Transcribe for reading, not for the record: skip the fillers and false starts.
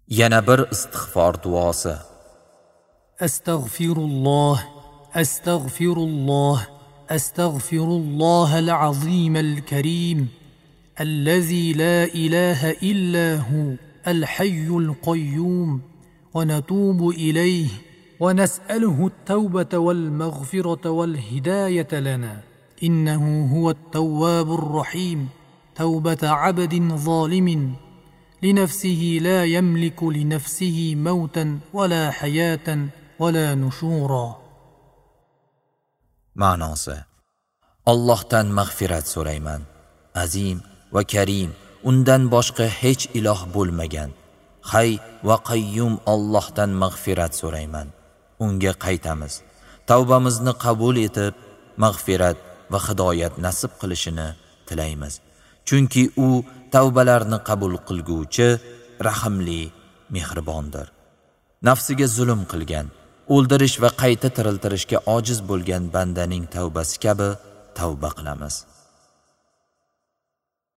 Yana bir istig'for duosi. Astagfirulloh, astagfirulloh, astagfirulloh al-azim al-karim, allazi la ilaha illa hu al-hayyul qayyum, wa natubu ilayhi wa nas'aluhu at-tawbata wal-maghfirata wal-hidayata lana, innahu huwa at-tawwabur rahim. Tawbata 'abdin zalimin لنفسه لا يملك لنفسه موتا ولا حياة ولا نشورا. Ma'nosi: Allohdan mag'firat so'rayman. Azim va Karim, undan boshqa hech iloh bo'lmagan. Hay va Qayyum Allohdan mag'firat so'rayman. Unga qaytamiz. Tavbamizni qabul etib, mag'firat va hidoyat nasib qilishini tilaymiz. Chunki u tavbalarni qabul qilguvchi, rahimli, mehribondir. Nafsiga zulm qilgan, o'ldirish va qayta tiriltirishga ojiz bo'lgan bandaning tavbasi kabi tavba qilamiz.